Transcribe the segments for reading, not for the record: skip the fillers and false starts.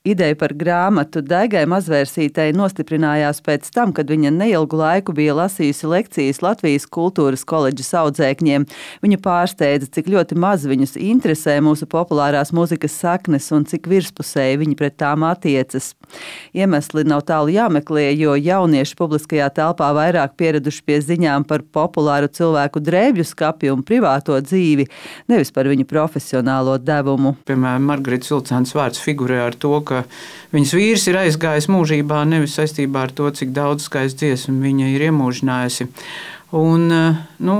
Ideja par grāmatu Daigai Mazvērsītei nostiprinājās pēc tam, kad viņa neilgu laiku bija lasījusi lekcijas Latvijas kultūras koledžas audzēkņiem. Viņa pārsteidza, cik ļoti maz viņus interesē mūsu populārās mūzikas saknes un cik virspusēji viņi pret tām attiecas. Iemesli nav tālu jāmeklē, jo jaunieši publiskajā telpā vairāk pieraduši pie ziņām par populāru cilvēku drēbju skapju un privāto dzīvi, nevis par viņu profesionālo devumu. Piemēram, Margaritas Vilcēnas vārds figurē ar to, ka viņas vīrs ir aizgājis mūžībā nevis saistībā ar to, cik daudz skaistu dziesmu viņa ir iemūžinājusi. Un,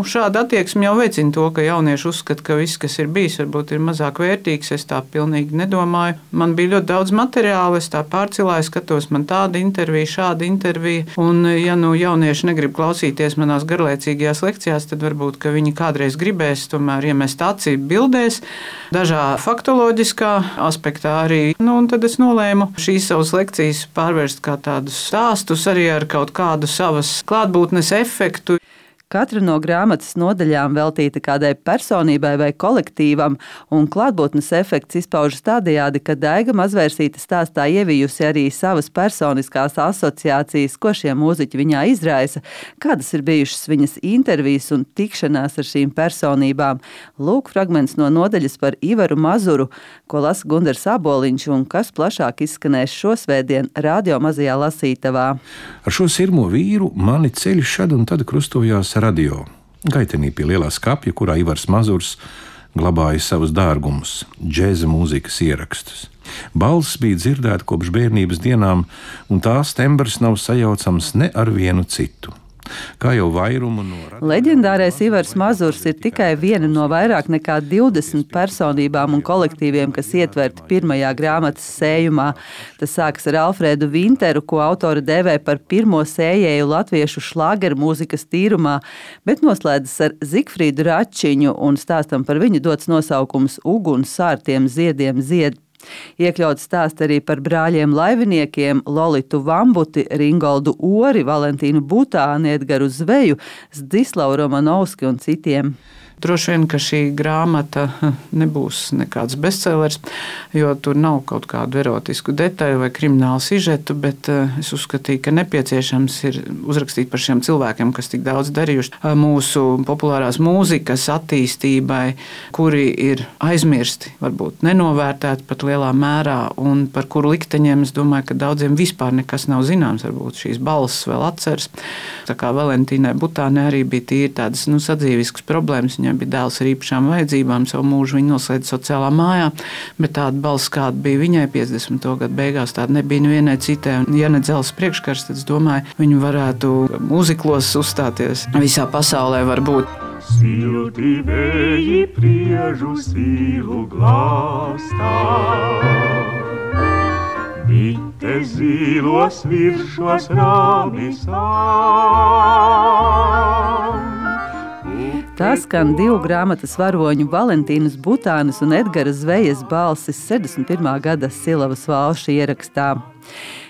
šāda attieksme jau veicina to, ka jaunieši uzskata, ka viss, kas ir bijis, varbūt ir mazāk vērtīgs. Es tā pilnīgi nedomāju. Man bija ļoti daudz materiāla, es tā pārcilāju, skatos, man tāda intervija, šāda intervija. Un, ja jaunieši negrib klausīties manās garlaicīgajās lekcijās, tad varbūt, ka viņi kādreiz gribēs tomēr iemest aci bildēs, dažā faktoloģiskā aspektā arī. Un tad es nolēmu šīs savas lekcijas pārvērst kā tādus stāstus arī ar kaut kādu savas klātbūtnes efektu. Katra no grāmatas nodaļām veltīta kādai personībai vai kolektīvam, un klātbūtnes efekts izpaužas tādējādi, ka Daiga Mazvērsīte stāstā ievijusi arī savas personiskās asociācijas, ko šie mūziķi viņā izraisa, kādas ir bijušas viņas intervijas un tikšanās ar šīm personībām. Lūk fragments no nodaļas par Ivaru Mazuru, ko lasa Gundars Aboliņš un kas plašāk izskanēs šosvētdien Radio Mazajā Lasītavā. Ar šo sirmo vīru mani ceļi šad un tad krustojās radio. Gaitenī pie lielā skapja, kurā Ivars Mazurs glabāja savus dārgumus, džēza mūzikas ierakstus. Balss bija dzirdēta kopš bērnības dienām, un tās tembrs nav sajaucams ne ar vienu citu. Kā jau vairumu no leģendārais Ivars Mazurs ir tikai viena no vairāk nekā 20 personībām un kolektīviem, kas ietverti pirmajā grāmatas sējumā. Tas sākas ar Alfrēdu Vinteru, ko autori dēvē par pirmo sējēju latviešu šlāgeru mūzikas tīrumā, bet noslēdzas ar Zigfrīdu Račiņu un stāstam par viņu dots nosaukums Uguns sārtiem ziediem zied. Iekļauts stāsts arī par brāļiem laiviniekiem Lolitu Vambuti, Ringoldu Ori, Valentīnu Butāni, Edgaru Zveju, Zdislavu Romanovski un citiem. Droši vien, ka šī grāmata nebūs nekāds bestsellers, jo tur nav kaut kādu erotisku detaļu vai kriminālu sižetu, bet es uzskatīju, ka nepieciešams ir uzrakstīt par šiem cilvēkiem, kas tik daudz darījuši mūsu populārās mūzikas attīstībai, kuri ir aizmirsti, varbūt nenovērtēti pat lielā mērā, un par kuru likteņiem es domāju, ka daudziem vispār nekas nav zināms, varbūt šīs balss vēl atceras. Tā kā Valentīnai Butānei arī bija tīri tādas sadzīviskas problēmas. Viņai bija dēls ar īpašām vajadzībām, savu mūžu viņa noslēdza sociālā mājā, bet tāda balss, kāda bija viņai 50. gadu beigās, tāda nebija nevienai citai. Un, ja ne dzels priekškars, tad es domāju, viņi varētu mūziklos uzstāties visā pasaulē varbūt. Silti vēji priežu silu glāstā, bite zīlos viršos rāmisām. Tā skan divu grāmatas varoņu Valentīnas Butānes un Edgara Zvejas balsis 61. gada Silavas valša ierakstā.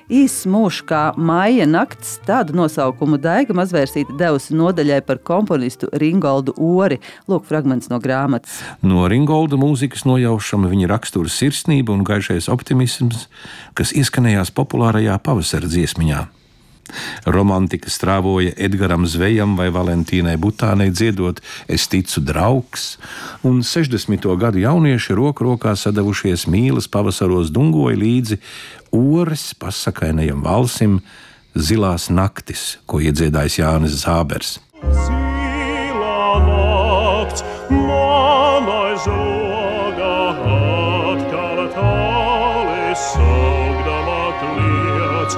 Īss mūžs kā Maija nakts, tādu nosaukumu Daiga Mazvērsīte devusi nodaļai par komponistu Ringoldu Ori. Lūk fragments no grāmatas. No Ringolda mūzikas nojaušama viņa rakstura sirsnība un gaišais optimisms, kas ieskanējās populārajā pavasara dziesmiņā. Romantika strāvoja Edgaram Zvejam vai Valentīnai Butānei dziedot Es ticu draugs, un 60. gadu jaunieši roku rokā sadavušies mīlas pavasaros dungoja līdzi Ores pasakainajam valsim Zilās naktis, ko iedziedājis Jānis Zābers. Zilā nakts, manai žoga atkal tāli saugdama kliedz.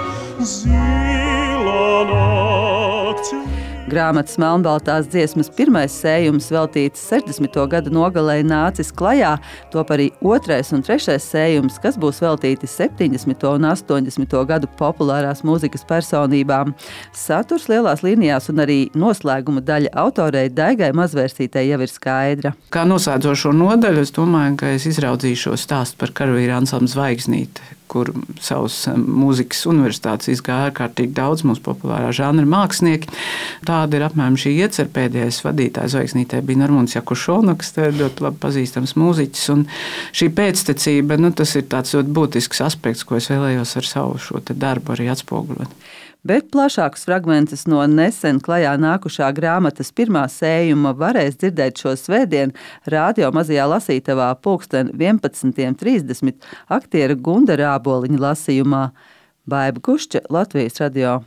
Grāmatas melnbaltās dziesmas pirmais sējums veltīts 60. gadu nogalei nācis klajā, top arī otrais un trešais sējums, kas būs veltīti 70. un 80. gadu populārās mūzikas personībām. Saturs lielās līnijās un arī noslēguma daļa autorei Daigai Mazvērsītei jau ir skaidra. Kā noslēdzošo nodaļu, es domāju, ka es izraudzīšu stāstu par karavīru ansamblu Zvaigznīte, kur savus mūzikas universitātes izgāja ārkārtīgi daudz mūsu populārā žanra mākslinieki. tāda ir apmēram šī iecer. Pēdējais vadītājs zvaigznītē bija Normons Jakušonoks, tas ir ļoti labi pazīstams mūziķis. Un šī pēctecība, tas ir tāds ļoti būtisks aspekts, ko es vēlējos ar savu šo darbu arī atspoguļot. Bet plašākus fragmentus no nesen klajā nākušā grāmatas pirmā sējuma varēs dzirdēt šo svētdienu radio mazajā lasītavā 11:30 aktiera Gunda Rāboliņa lasījumā. Baiba Kušča, Latvijas radio.